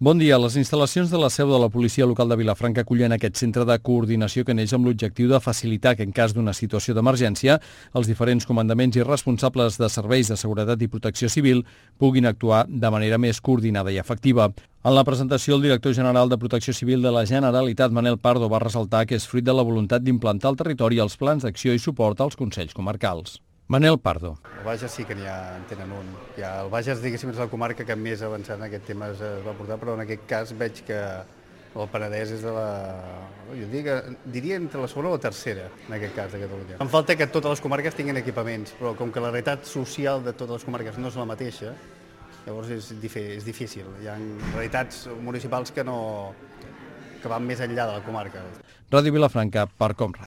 Bon dia. Les instal·lacions de la seu de la policia local de Vilafranca acullen aquest centre de coordinació que neix amb l'objectiu de facilitar que en cas d'una situació d'emergència els diferents comandaments i responsables de serveis de seguretat i protecció civil puguin actuar de manera més coordinada i efectiva. En la presentació, el director general de Protecció Civil de la Generalitat, Manel Pardo, va ressaltar que és fruit de la voluntat d'implantar al territori els plans d'acció i suport als consells comarcals. Manel Pardo. El Bages sí que en tenen un. El Bages, diguéssim, és la comarca que més avançat en aquest tema es va portar, però en aquest cas veig que el Penedès és de la... Jo diria entre la segona o la tercera, en aquest cas, de Catalunya. Em falta que totes les comarques tinguin equipaments, però com que la realitat social de totes les comarques no és la mateixa, llavors és difícil. Hi ha realitats municipals que van més enllà de la comarca. Ràdio Vilafranca, per Com.